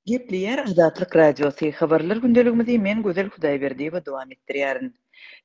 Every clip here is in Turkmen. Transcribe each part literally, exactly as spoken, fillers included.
Gepleýär Azatlyk Radiosy, Habarlar gündeligimizi men Gözel Hudaýberdiýewa dowam etdirýärin.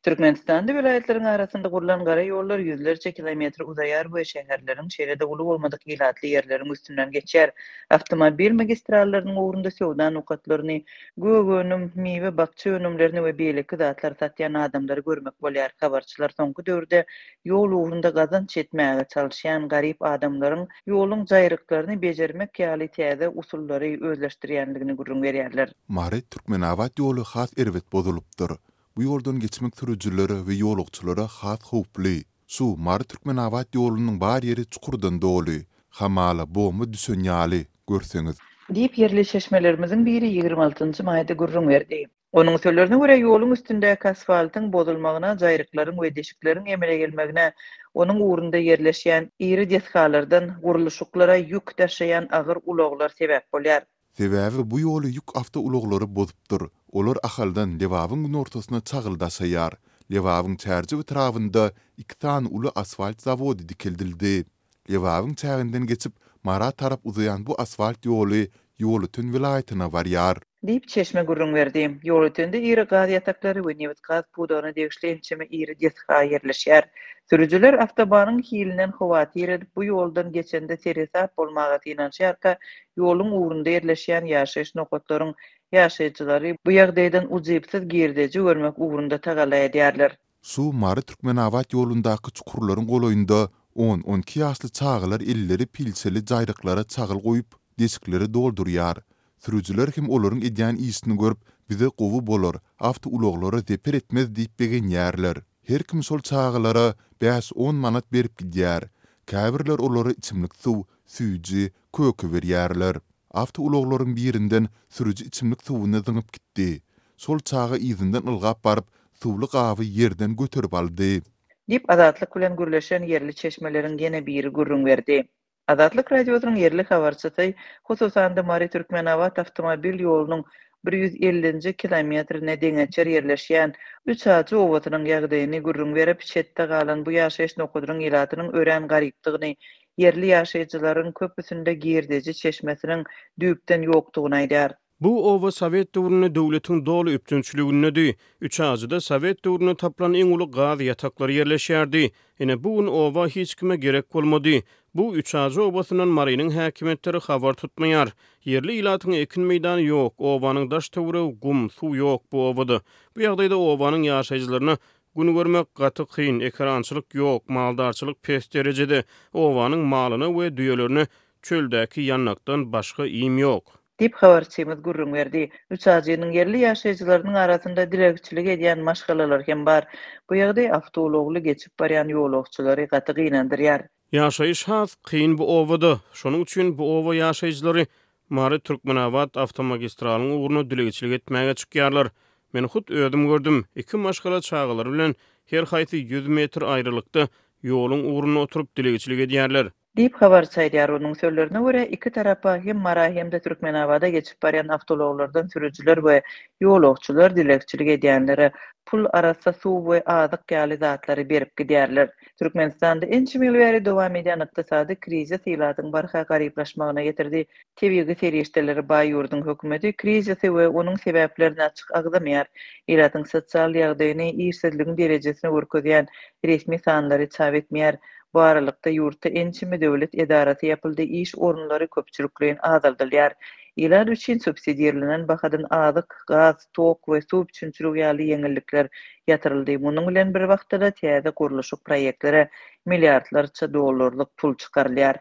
Türkmenistanda welaýatlaryň arasynda gurlan gara ýollar ýüzlerçe kilometr uzaýar we şäherleriň, şeýle-de uly bolmadyk ilatly ýerleriň üstünden geçýär. Awtomobil magistrallarynyň ugrunda söwda nokatlaryny, gök önüm, miwe, bakja önümlerini we beýleki zatlary satýan adamlary görmek bolýar. Habarçylar soňky döwürde ýol ugrunda gazanç etmäge çalyşýan garyp adamlaryň ýoluň jaýryklaryny bejermek ýaly täze usullary özleşdirýändigini gürrüň berýärler. Mary-Türkmenabat ýoly has erbet bozulypdyr. Bu ýoldan geçmek sürüjilere we ýolagçylara has howply. Şu Mary-Türkmenabat ýolunyň bar ýeri çukurdan doly. Hamala bomba düşen ýaly, görseňiz. Diýip, ýerli çeşmelerimiziň biri ýigrimi altynjy maýda gürrüň berdi. Onuň sözlerine görä, ýoluň üstündäki asfaltyň bozulmagyna, jaýryklaryň we deşikleriň emele gelmegine onuň ugrunda ýerleşýän iri desgalardan gurluşyklara ýük daşaýan agyr ulaglar sebäp bolýar. Sebäbi bu ýoly ýük awtoulaglary bozupdyr. Olar Ahaldan Lebabyň günortasyna çagyl daşaýar. Lebabyň Çärjew etrabynda iki sany uly asfalt zawody dikeldildi. Lebabyň çäginden geçip, Mara tarap uzaýan bu asfalt ýoly Ýolöten welaýatyna barýar. Diýip, çeşme gürrüň berdi. Ýolötende iri gaz ýataklary we nebit-gaz pudagyna degişli ençeme iri desga ýerleşýär. Sürüjiler awtobanyň hilinden howatyr edip, bu ýoldan geçende seresap bolmaga synanyşýarka, ýoluň ugrunda ýerleşýän ýaşaýyş nokatlaryň ýaşaýjylary bu ýagdaýdan ujypsyz girdeji görmek ugrunda tagalla edýärler. Şu Mary-Türkmenabat ýolundaky çukurlaryň golaýynda on-on iki ýaşly çagalar elleri pilçeli jaýryklara çagyl guýup, deşikleri doldurýar. Sürüjiler hem olaryň edýän işini görüp, bize gowy bolar, awtoulaglara zeper etmez diýip begenýärler. Her kim şol çagalara bäş-on manat berip gidýär. Käbirler olara içimlik suw, süýji, köke berýärler. Awtoulaglaryň birinden sürüji içimlik suwuny zyňyp gitdi. Şol çaga yzyndan ylgap baryp, suwly gaby ýerden göterip aldy. Diýip, Azatlyk bilen gürleşen ýerli çeşmeleriň ýene biri gürrüň berdi. Azatlyk Radiosynyň ýerli habarçysy, hususan-da, Mary-Türkmenabat awtomobil ýolunyň bir ýüz ellinji kilometrine deňeçer ýerleşýän Üçajy obasynyň ýagdaýyny gürrüň berip, çetde galan bu ýaşaýyş nokadynyň ilatynyň örän garypdygyny, ýerli ýaşaýjylaryň köpüsinde girdeji çeşmesiniň düýpden ýokdugyny aýdýar. Bu oba sowet döwründe döwletiň doly üpjünçiligindedi. Üçajyda sowet döwründe tapylan iň uly gaz ýataklary ýerleşýärdi. Ine, bu gün oba hiç kime gerek bolmady. Bu Üçajy obasyndan Marynyň häkimiýetleri habar tutmaýar. Ýerli ilatyň ekin meýdany ýok, obanyň daş-töweregi gum, suw ýok bu obada. Bu ýagdaýda obanyň ýaşaýjylaryna gün görmek gaty kyn, ekerançylyk ýok, maldarçylyk pes derejede, obanyň malyna we düýelerine çöldäki ýandakdan başga iým ýok. Diýip, habarçymyz gürrüň berdi. Üçajynyň ýerli ýaşaýjylarynyň arasynda dilegçilik edýän maşgalalar hem bar. Bu ýagdaý awtoulagly geçip barýan ýolagçylary gaty gynandyrýar. Ýaşaýyş has kyn bu obada. Şonuň üçin bu oba ýaşaýjylary Mary-Türkmenabat awtomagistralyň ugruna dilegçilik etmäge çykýarlar. Men hut özüm gördüm, iki maşgala çagalary bilen her haýsy ýüz metr aýralykda ýoluň ugrunda oturyp dilegçilik edýärler. Diýip, habarçy aýdýar. Onuň sözlerine görä, iki tarapa, hem Mara, hem-de Türkmenabada geçip barýan awtoulaglardan sürüjiler we ýolagçylar dilegçilik edýänlere pul, arassa suw we azyk ýaly zatlary berip gidýärler. Türkmenistanda ençeme ýyl bäri dowam edýän ykdysady krizis ilatyň barha garyplaşmagyna getirdi. Tebigy serişdelere baý ýurduň hökümeti krizisi we onuň sebäplerini açyk agzamaýar. Ilatyň sosial ýagdaýyny, işsizligiň derejesini görkezýän resmi sanlary çap etmeýär. Bu aralykda, ýurtda ençeme döwlet edarasy ýapyldy, iş orunlary köpçülikleýin azaldylýar. Ilat üçin subsidirlenen bahadan azyk, gaz, tok we suw üpjünçiligi ýaly ýeňillikler ýatyryldy. Munuň bilen bir wagtda-da täze gurluşyk proýektlere milliardlarça dollarlyk pul çykarylýar.